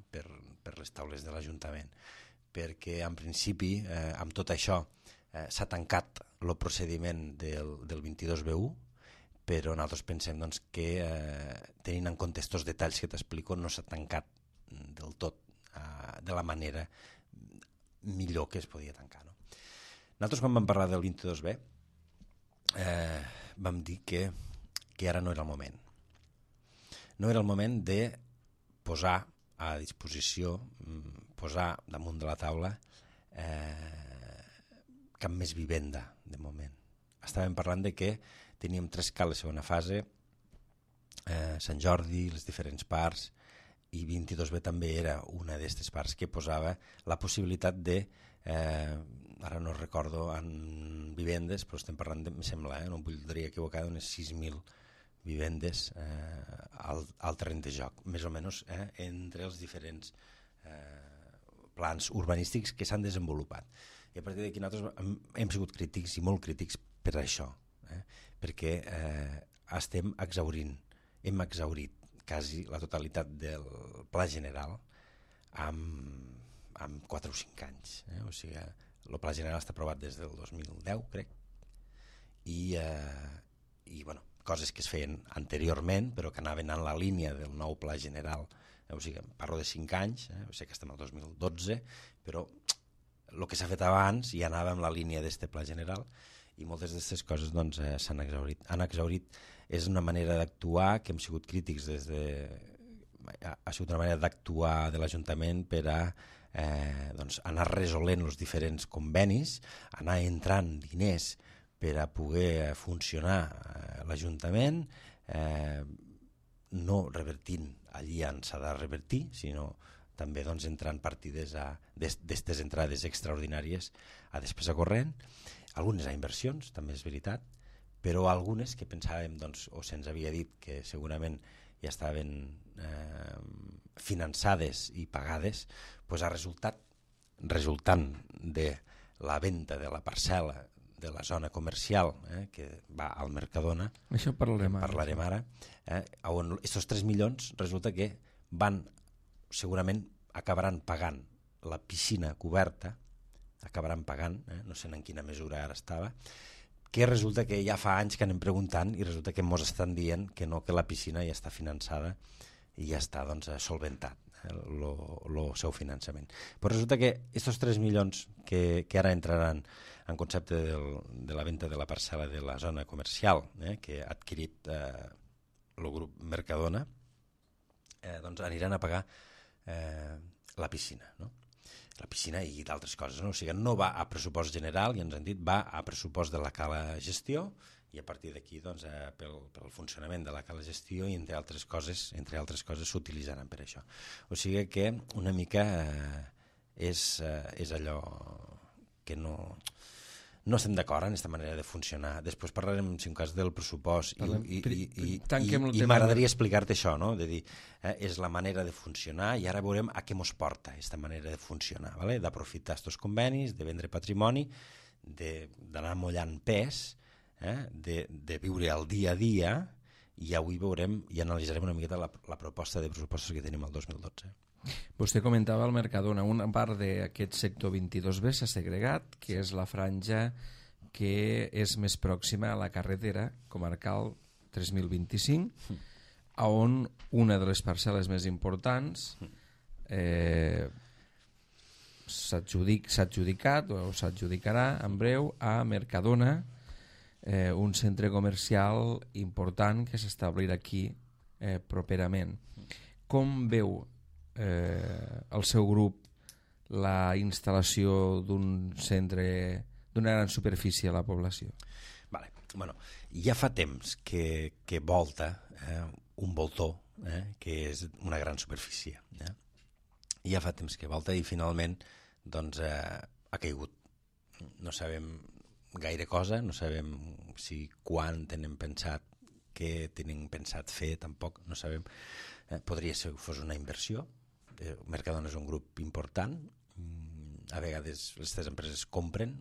per les taules de l'Ajuntament, perquè en principi amb tot això s'ha tancat el procediment del 22B1, però nosaltres pensem que tenint en compte aquests detalls que t'explico no s'ha tancat del tot de la manera millor que es podia tancar. Nosaltres quan vam parlar del 22B vam dir que ara no era el moment. No era el moment de posar a disposició, posar damunt de la taula cap més vivenda de moment. Estàvem parlant de que teníem 3 cales segona fase Sant Jordi, les diferents parts, i 22B també era una d'aquestes parts que posava la possibilitat de, ara no recordo en vivendes, però estem parlant, em sembla, no em voldria equivocar, d'unes 6.000 vivendes al terreny de joc, més o menys, entre els diferents plans urbanístics que s'han desenvolupat. I a partir d'aquí nosaltres hem sigut crítics i molt crítics per això, perquè estem exhaurint, hem exhaurit quasi la totalitat del pla general amb 4 o 5 anys. O sigui, el pla general està aprovat des del 2010, crec, i bueno, coses que es feien anteriorment però que anaven en la línia del nou pla general. O sigui, parlo de 5 anys, sé que estem al 2012, però el que s'ha fet abans ja anava en la línia d'aquest pla general, i moltes d'aquestes coses doncs, s'han exhaurit. Han exhaurit, és una manera d'actuar que hem sigut crítics ha sigut una manera d'actuar de l'Ajuntament per a doncs, anar resolent els diferents convenis, anar entrant diners per a poder funcionar l'Ajuntament, no revertint allí on s'ha de revertir, sinó també doncs, entrant partides d'aquestes entrades extraordinàries a despesa corrent, algunes a inversions, també és veritat, però algunes que pensàvem, doncs, o se'ns havia dit que segurament ja estaven finançades i pagades, doncs ha resultant de la venda de la parcel·la de la zona comercial que va al Mercadona, això parlarem ara, on aquests 3 milions resulta que segurament acabaran pagant la piscina coberta, no sé en quina mesura ara estava, que resulta que ja fa anys que anem preguntant i resulta que ens estan dient que no, que la piscina ja està finançada i ja està doncs, solventat el seu finançament. Però resulta que aquests 3 milions que ara entraran en concepte de la venda de la parcel·la de la zona comercial que ha adquirit el grup Mercadona, doncs aniran a pagar la piscina, no? La piscina i d'altres coses, no? O sigui, no va a pressupost general, ja ens han dit, va a pressupost de la cala gestió, i a partir d'aquí doncs, pel funcionament de la cala gestió i entre altres coses s'utilitzaran per això. O sigui que una mica és allò que no estem d'acord en aquesta manera de funcionar. Després parlarem, si un cas, del pressupost i m'agradaria explicar-te això, no? De dir, és la manera de funcionar i ara veurem a què ens porta aquesta manera de funcionar, ¿vale? D'aprofitar aquests convenis, de vendre patrimoni, d'anar mullant pes, de viure el dia a dia, i avui veurem i analitzarem una miqueta la proposta de pressupostos que tenim el 2012. Vostè comentava el Mercadona, una part d'aquest sector 22B s'ha segregat, que és la franja que és més pròxima a la carretera comarcal 3025, on una de les parcel·les més importants s'ha adjudicat o s'adjudicarà en breu a Mercadona, un centre comercial important que s'establirà aquí properament. Com veu el seu grup la instal·lació d'un centre d'una gran superfície a la població? Vale. Bueno, ja fa temps que volta un voltor que és una gran superfície. Ja fa temps que volta i finalment doncs, ha caigut. No sabem gaire cosa, no sabem si quan tenen pensat, què tenen pensat fer, tampoc no sabem. Podria ser que fos una inversió. Mercadona és un grup important, a vegades aquestes empreses compren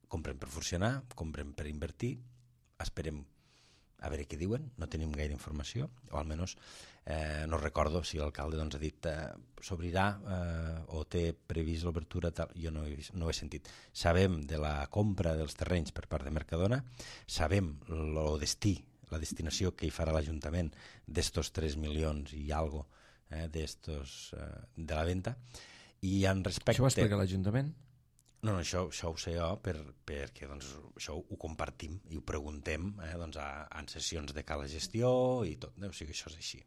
per funcionar, compren per invertir, esperem a veure què diuen, no tenim gaire informació, o almenys no recordo si l'alcalde doncs, ha dit s'obrirà o té previst l'obertura, jo no ho he sentit. Sabem de la compra dels terrenys per part de Mercadona, sabem el destí, la destinació que hi farà l'Ajuntament d'estos 3 milions i algo de la venda, i en respecte... Això ho explica l'Ajuntament? No, això ho sé jo perquè doncs, això ho compartim i ho preguntem en sessions de cala gestió i tot, o sigui, això és així.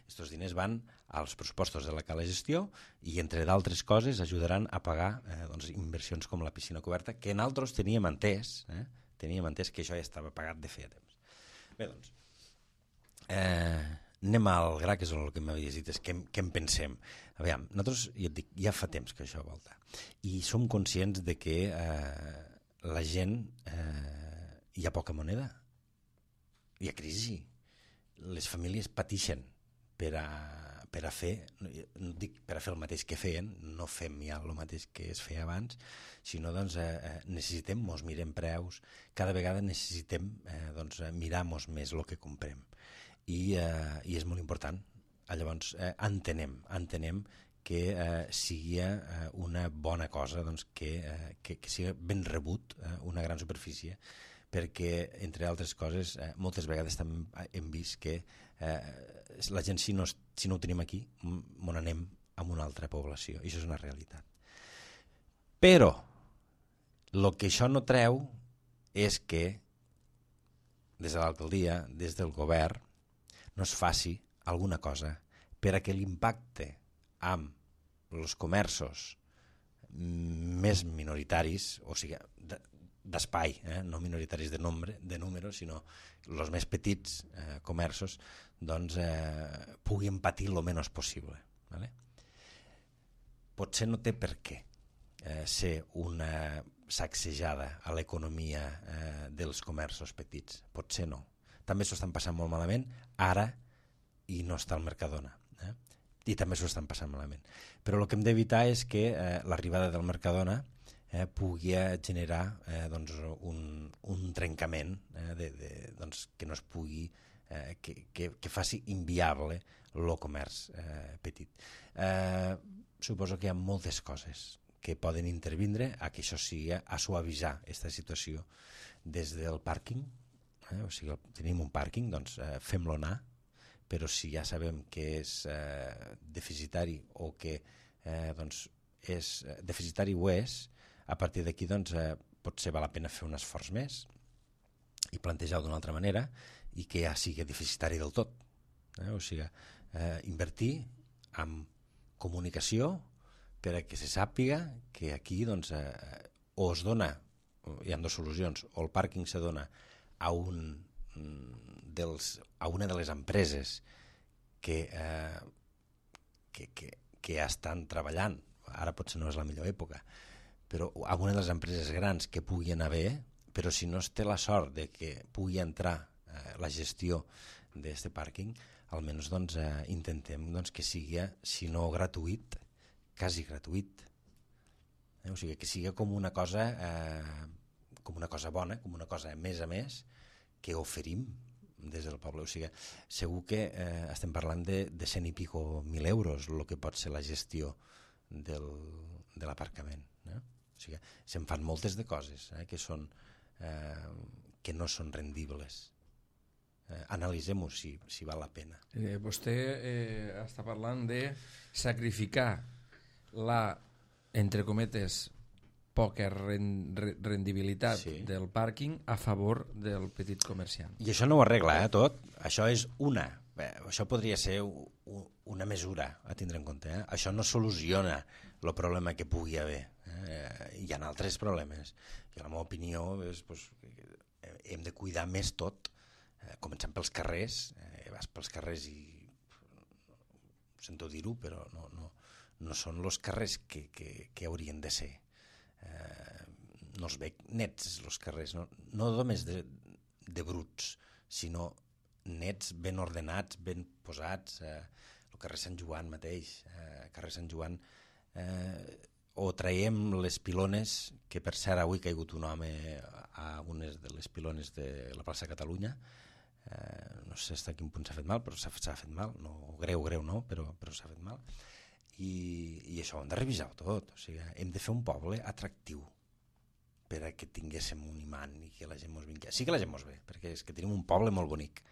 Estos diners van als pressupostos de la cala gestió i, entre d'altres coses, ajudaran a pagar inversions com la piscina coberta, que nosaltres teníem entès que això ja estava pagat de feia temps. Bé, doncs, Anem al gra, que és el que m'havies dit, és què en pensem. Aviam, nosaltres, ja et dic, ja fa temps que això volta, i som conscients de que la gent, hi ha poca moneda, hi ha crisi, les famílies pateixen per a fer, no dic per a fer el mateix que feien, no fem ja el mateix que es feia abans, sinó doncs necessitem, mos mirem preus, cada vegada necessitem mirar-nos més el que comprem. I és molt important. Llavors entenem que sigui una bona cosa que sigui ben rebut una gran superfície, perquè, entre altres coses, moltes vegades també hem vist que la gent, si no ho tenim aquí, on anem a una altra població, i això és una realitat. Però el que això no treu és que des de l'alcaldia, des del govern, no es faci alguna cosa per a que l'impacte amb els comerços més minoritaris, o sigui, d'espai, no minoritaris de número, sinó els més petits comerços, doncs puguin patir el menys possible. Vale? Potser no té per què ser una sacsejada a l'economia dels comerços petits, potser no. També s'ho estan passant molt malament ara i no està al Mercadona, i també s'ho estan passant malament. Però el que hem d'evitar és que l'arribada del Mercadona pugui generar un trencament que no es pugui, que faci inviable el comerç petit. Suposo que hi ha moltes coses que poden intervindre a que això sigui a suavitzar aquesta situació des del pàrquing, o sigui, tenim un pàrquing, doncs fem-lo anar, però si ja sabem que és deficitari o que és deficitari o és, a partir d'aquí potser val la pena fer un esforç més i plantejar-ho d'una altra manera i que ja sigui deficitari del tot. O sigui, invertir en comunicació per a que se sàpiga que aquí o es dona, hi ha dues solucions, o el pàrquing se dona a una de les empreses que estan treballant, ara potser no és la millor època, però alguna de les empreses grans que puguin haver, però si no es té la sort de que pugui entrar la gestió d'aquest pàrquing, almenys intentem que sigui, si no gratuït, quasi gratuït. O sigui, que sigui com una cosa bona, com una cosa a més que oferim des del poble. O sigui, segur que estem parlant de 100 i pico mil euros el que pot ser la gestió de l'aparcament. O sigui, se'n fan moltes de coses que no són rendibles. Analitzem-ho si val la pena. Vostè està parlant de sacrificar la, entre cometes, poca rendibilitat del pàrquing a favor del petit comerciant. I això no ho arregla, tot. Això és això podria ser una mesura a tindre en compte. Això no soluciona el problema que pugui haver. Hi ha altres problemes. I la meva opinió és hem de cuidar més tot, començant pels carrers. Vas pels carrers i sento dir-ho, però no són els carrers que haurien de ser. No els veig nets, els carrers, no només de bruts, sinó nets, ben ordenats, ben posats. El carrer Sant Joan mateix, carrer Sant Joan, o traiem les pilones, que per cert avui ha caigut un home a unes de les pilones de la plaça Catalunya, no sé fins a quin punt s'ha fet mal, però s'ha fet mal, no, greu no, però s'ha fet mal. I això ho hem de revisar tot. O sigui, hem de fer un poble atractiu per a que tinguéssim un imant i que la gent mos vingui. Sí que la gent mos ve, perquè és que tenim un poble molt bonic,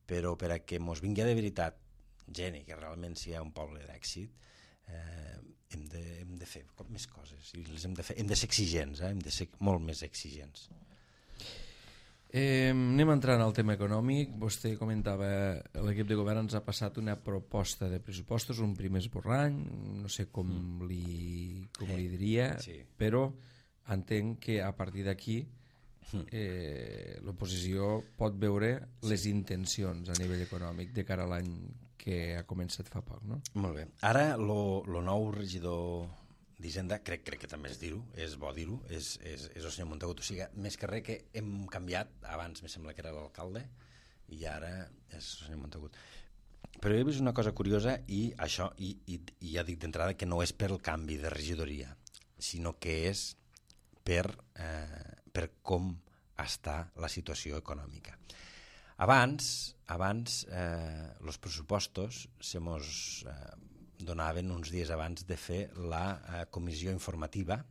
però per a que mos vingui de veritat gent i que realment sigui un poble d'èxit, hem de fer més coses i hem de ser exigents, hem de ser molt més exigents. Anem entrant al tema econòmic. Vostè comentava, l'equip de govern ens ha passat una proposta de pressupostos, un primer esborrany, no sé com li diria, però entenc que a partir d'aquí l'oposició pot veure les intencions a nivell econòmic de cara a l'any que ha començat fa poc, no? Molt bé. Ara, lo nou regidor d'Hisenda, crec que també és dir-ho, és bo dir-ho, és el senyor Montagut. O sigui, més que res que hem canviat, abans me sembla que era l'alcalde, i ara és el senyor Montagut. Però he vist una cosa curiosa i això, i ja dic d'entrada que no és per el canvi de regidoria, sinó que és per com està la situació econòmica. Abans los pressupostos se mos donaven uns dies abans de fer la comissió informativa,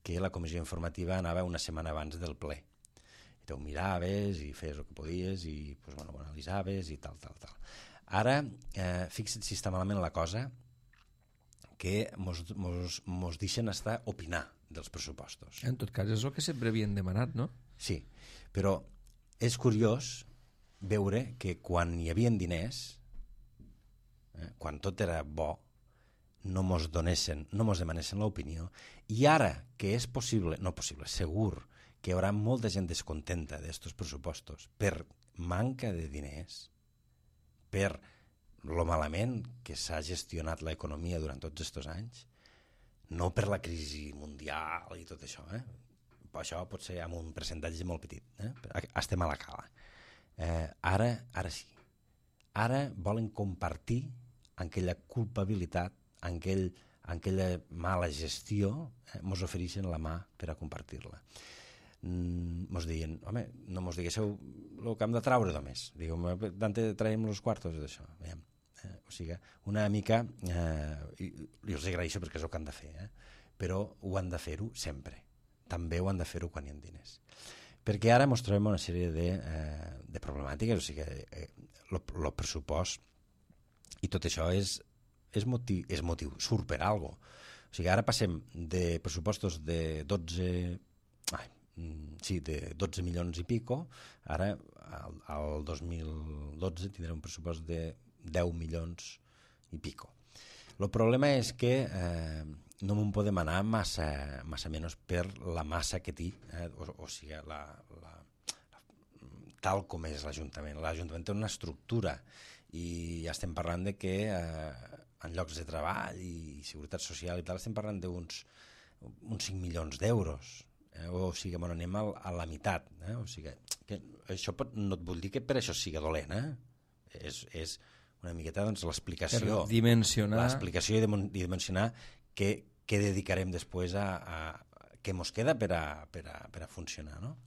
que la comissió informativa anava una setmana abans del ple. I tu miraves i feies el que podies i pues, ho analitzaves i tal. Ara, fixa't si està malament la cosa, que mos deixen estar opinar dels pressupostos. En tot cas, és el que sempre havien demanat, no? Sí, però és curiós veure que quan hi havia diners, quan tot era bo, no mos demanessin l'opinió, i ara que és possible, segur que hi haurà molta gent descontenta d'estos pressupostos per manca de diners, per lo malament que s'ha gestionat l'economia durant tots aquests anys, no per la crisi mundial i tot això, això pot ser amb un percentatge molt petit, estem a la cala. Ara sí, ara volen compartir aquella culpabilitat, aquella mala gestió, mos ofereixen la mà per a compartir-la. Mos diuen, home, no mos diguéssiu el que hem de traure només, digueu, d'on traiem els quartos d'això, veiem. O sigui, una mica, i els agraeixo perquè és el que han de fer, però ho han de fer-ho sempre. També ho han de fer-ho quan hi ha diners. Perquè ara ens trobem una sèrie de problemàtiques, o sigui, el pressupost i tot això és motiu, surt per alguna cosa. O sigui, ara passem de pressupostos de 12 milions i pico, ara al 2012 tindrem un pressupost de 10 milions i pico. El problema és que no m'ho podem anar massa menys per la massa que té, o sigui, tal com és l'Ajuntament. L'Ajuntament té una estructura i estem parlant de que en llocs de treball i seguretat social i tal estem parlant d'uns 5 milions d'euros. O sigui, anem a la meitat. O sigui, que això no et vull dir que per això sigui dolent. És una miqueta l'explicació. Per dimensionar. L'explicació i dimensionar què dedicarem després a què mos queda per a funcionar. No?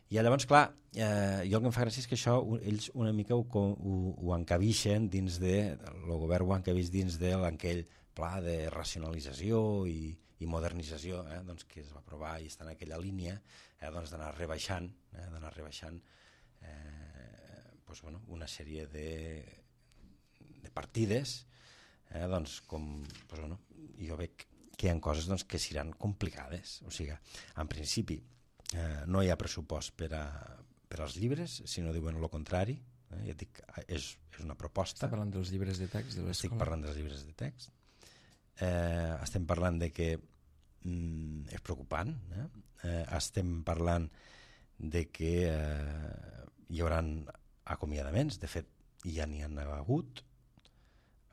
I llavors, clar, jo el que em fa gràcia és que això ells una mica ho encabixen dins el govern ho encabix dins d'aquell pla de racionalització i modernització que es va aprovar i està en aquella línia d'anar rebaixant una sèrie de partides com jo veig que hi ha coses que seran complicades. O sigui, en principi no hi ha pressupost per als llibres, si no diuen el contrari. Ja et dic, és una proposta. Estic parlant dels llibres de text de l'escola. Estic parlant dels llibres de text. Estem parlant de que és preocupant. Estem parlant de que hi haurà acomiadaments, de fet ja n'hi ha hagut.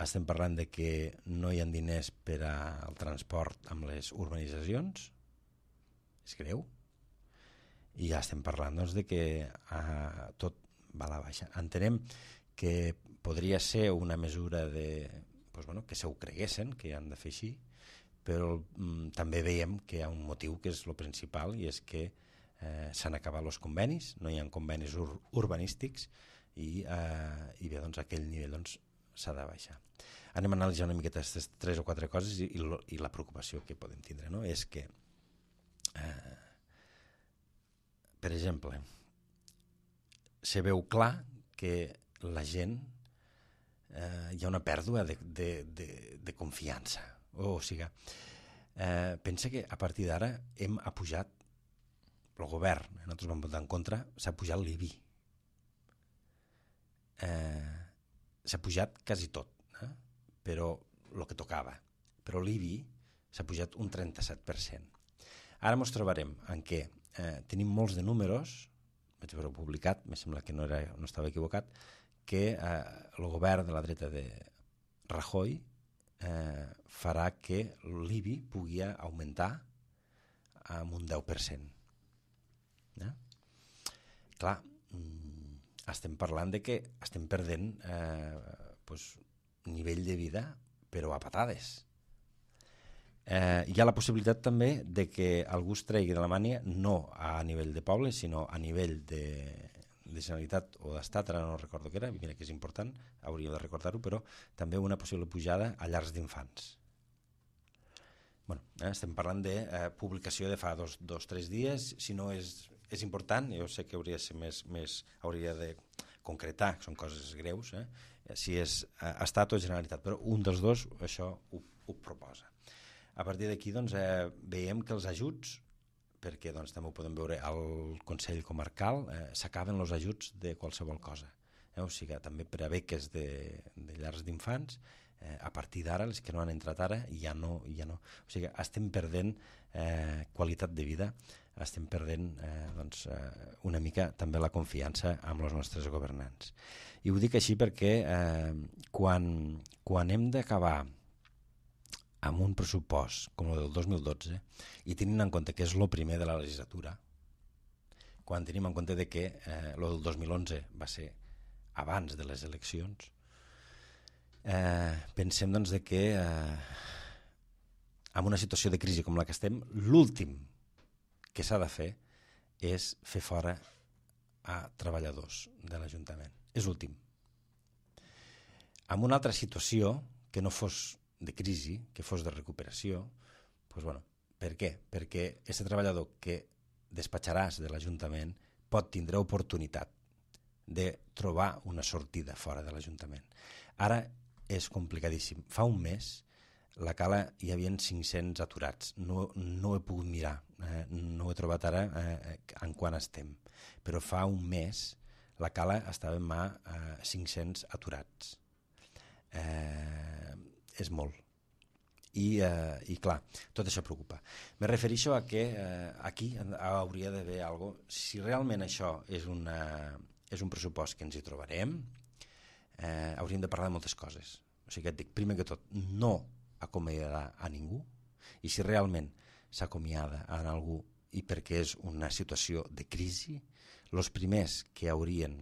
Estem parlant de que no hi ha diners per al transport amb les urbanitzacions, és greu, i ja estem parlant de que tot va a la baixa. Entenem que podria ser una mesura que se ho creguessin, que han de fer així, però també veiem que hi ha un motiu que és el principal i és que s'han acabat els convenis, no hi ha convenis urbanístics i bé, aquell nivell s'ha de baixar. Anem a analitzar una miqueta aquestes 3 o 4 coses i la preocupació que podem tindre, no? És que per exemple se veu clar que la gent hi ha una pèrdua de confiança. O sigui, pensa que a partir d'ara hem apujat el govern, nosaltres vam votar en contra, s'ha pujat l'IBI. S'ha pujat quasi tot, però el que tocava. Però l'IBI s'ha pujat un 37%. Ara ens trobarem en què tenim molts de números, vaig veure publicat, me sembla que no estava equivocat, que el govern de la dreta de Rajoy farà que l'IBI pugui augmentar amb un 10%. Clar, estem parlant de que estem perdent nivell de vida, però a patades. Hi ha la possibilitat també de que algú es tregui de la mània no a nivell de poble, sinó a nivell de Generalitat o d'Estat, ara no recordo què era, mira que és important, hauríem de recordar-ho, però també una possible pujada a llars d'infants. Bueno, estem parlant de publicació de fa 2-3 dies, si no és important, jo sé que hauria de ser hauria de concretar, són coses greus, si és Estat o Generalitat, però un dels dos això ho proposa. A partir d'aquí veiem que els ajuts, perquè també ho podem veure al Consell Comarcal, s'acaben els ajuts de qualsevol cosa. O sigui, també per a beques de llars d'infants, a partir d'ara, les que no han entrat ara, ja no. O sigui, estem perdent qualitat de vida, estem perdent una mica també la confiança amb els nostres governants. I ho dic així perquè quan hem d'acabar amb un pressupost com el del 2012 i tenint en compte que és el primer de la legislatura, quan tenim en compte que el del 2011 va ser abans de les eleccions, pensem que en una situació de crisi com la que estem, l'últim que s'ha de fer és fer fora a treballadors de l'Ajuntament. És l'últim. En una altra situació que no fos de crisi, que fos de recuperació, per què? Perquè aquest treballador que despatxaràs de l'Ajuntament pot tindre oportunitat de trobar una sortida fora de l'Ajuntament. Ara és complicadíssim. Fa un mes la Cala hi havia 500 aturats. No he pogut mirar, no ho he trobat ara en quan estem, però fa un mes la Cala estava en mà 500 aturats. És molt. I clar, tot això preocupa. Me refereixo a que aquí hauria d'haver alguna cosa. Si realment això és un pressupost que ens hi trobarem, hauríem de parlar de moltes coses. O sigui, et dic, primer que tot, no acomiadarà a ningú, i si realment s'acomiada a algú i perquè és una situació de crisi, els primers que haurien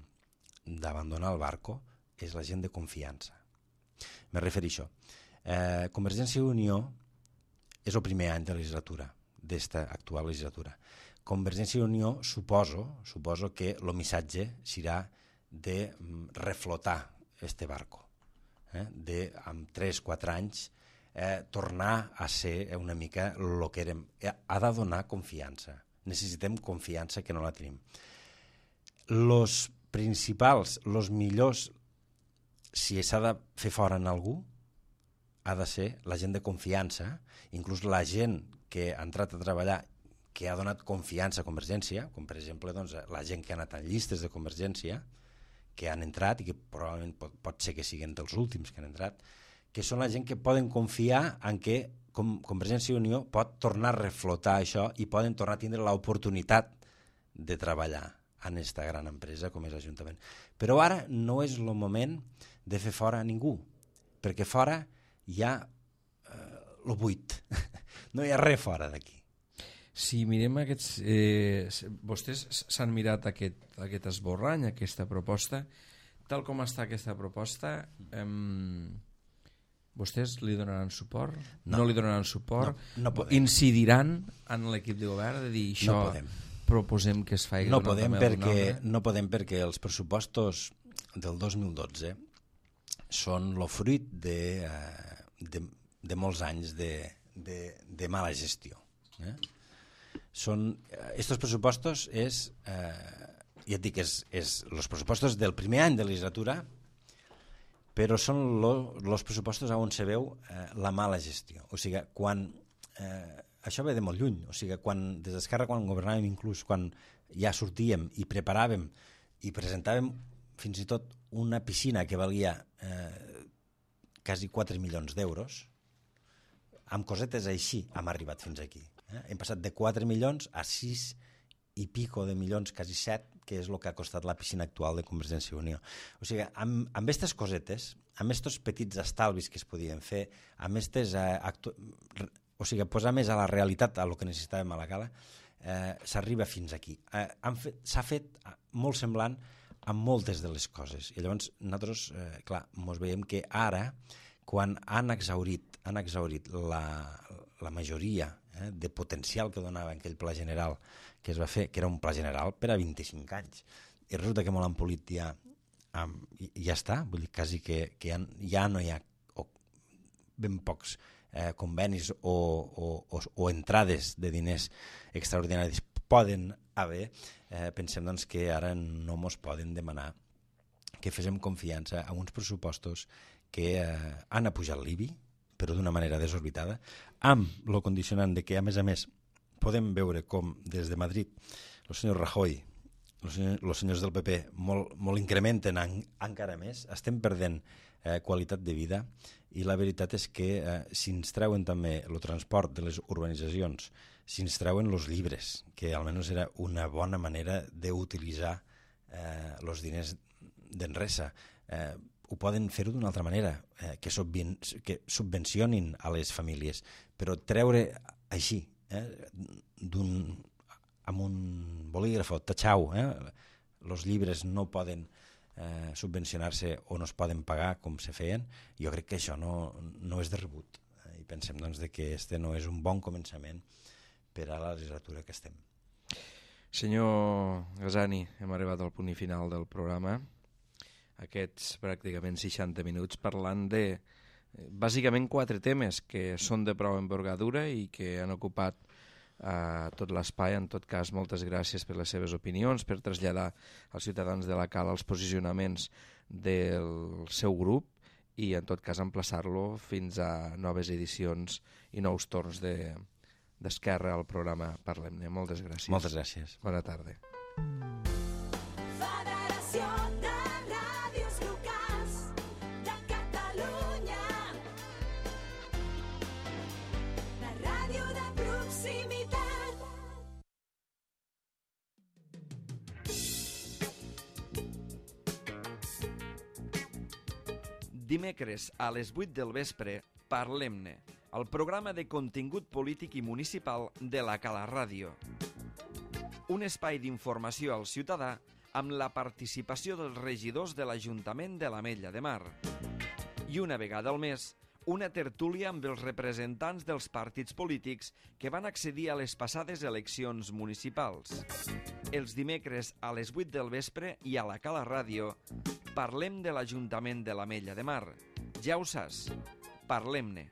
d'abandonar el barco és la gent de confiança. Me refereixo. Convergència i Unió és el primer any de legislatura, d'esta actual legislatura. Convergència i Unió suposo que el missatge serà de reflotar este barco, de amb 3-4 anys tornar a ser una mica el que érem. Ha de donar confiança. Necessitem confiança que no la tenim. Els principals, els millors, si s'ha de fer fora en algú, ha de ser la gent de confiança, inclús la gent que ha entrat a treballar, que ha donat confiança a Convergència, com per exemple la gent que ha anat en llistes de Convergència, que han entrat i que probablement pot ser que siguin dels últims que han entrat, que són la gent que poden confiar en que Convergència i Unió pot tornar a reflotar això i poden tornar a tindre l'oportunitat de treballar en aquesta gran empresa com és l'Ajuntament. Però ara no és el moment de fer fora a ningú, perquè fora hi ha el buit, no hi ha res fora d'aquí. Si mirem aquests... vostès s'han mirat aquest esborrany, aquesta proposta, tal com està aquesta proposta, vostès li donaran suport? No li donaran suport? No podem. Incidiran en l'equip de govern de dir això proposem que es faci? No podem perquè els pressupostos del 2012 són el fruit de molts anys de mala gestió. Estos pressupostos ja et dic, és els pressupostos del primer any de legislatura, però són els pressupostos on se veu la mala gestió. O sigui, quan això ve de molt lluny, o sigui, des d'Esquerra, quan governàvem, inclús quan ja sortíem i preparàvem i presentàvem fins i tot una piscina que valia quasi 4 milions d'euros, amb cosetes així hem arribat fins aquí. Hem passat de 4 milions a 6 i pico de milions, quasi 7, que és el que ha costat la piscina actual de Convergència i Unió. O sigui, amb aquestes cosetes, amb aquests petits estalvis que es podien fer, amb aquestes... o sigui, posar més a la realitat a el que necessitàvem a la Cala, s'arriba fins aquí. S'ha fet molt semblant amb moltes de les coses. I llavors nosaltres, clar, ens veiem que ara, quan han exhaurit la majoria de potencial que donava aquell pla general que es va fer, que era un pla general per a 25 anys, i resulta que molt empolit ja està, vull dir, quasi que ja no hi ha ben pocs convenis o entrades de diners extraordinaris poden haver, pensem doncs, que ara no ens poden demanar que féssim confiança a uns pressupostos que han apujat l'IBI, però d'una manera desorbitada, amb el condicionant de que, a més, podem veure com des de Madrid el senyor Rajoy, els senyors del PP molt incrementen encara més, estem perdent qualitat de vida, i la veritat és que si ens treuen també el transport de les urbanitzacions, si ens treuen els llibres, que almenys era una bona manera d'utilitzar els diners d'Enresa, ho poden fer-ho d'una altra manera, que subvencionin a les famílies, però treure així, amb un bolígraf, tatxau, els llibres no poden subvencionar-se o no es poden pagar com se feien, jo crec que això no és de rebut, i pensem doncs, que este no és un bon començament per a la legislatura que estem. Senyor Gazzani, hem arribat al punt final del programa, aquests pràcticament 60 minuts parlant de bàsicament 4 temes que són de prou envergadura i que han ocupat tot l'espai. En tot cas, moltes gràcies per les seves opinions, per traslladar als ciutadans de la Cala els posicionaments del seu grup i, en tot cas, emplaçar-lo fins a noves edicions i nous torns d'Esquerra al programa Parlem-ne. Moltes gràcies. Moltes gràcies. Bona tarda. Dimecres a les 8 del vespre, Parlem-ne, el programa de contingut polític i municipal de la Cala Ràdio. Un espai d'informació al ciutadà amb la participació dels regidors de l'Ajuntament de l'Ametlla de Mar. I una vegada al mes, una tertúlia amb els representants dels partits polítics que van accedir a les passades eleccions municipals. Els dimecres a les 8 del vespre i a la Cala Ràdio parlem de l'Ajuntament de l'Ametlla de Mar. Ja ho saps, parlem-ne.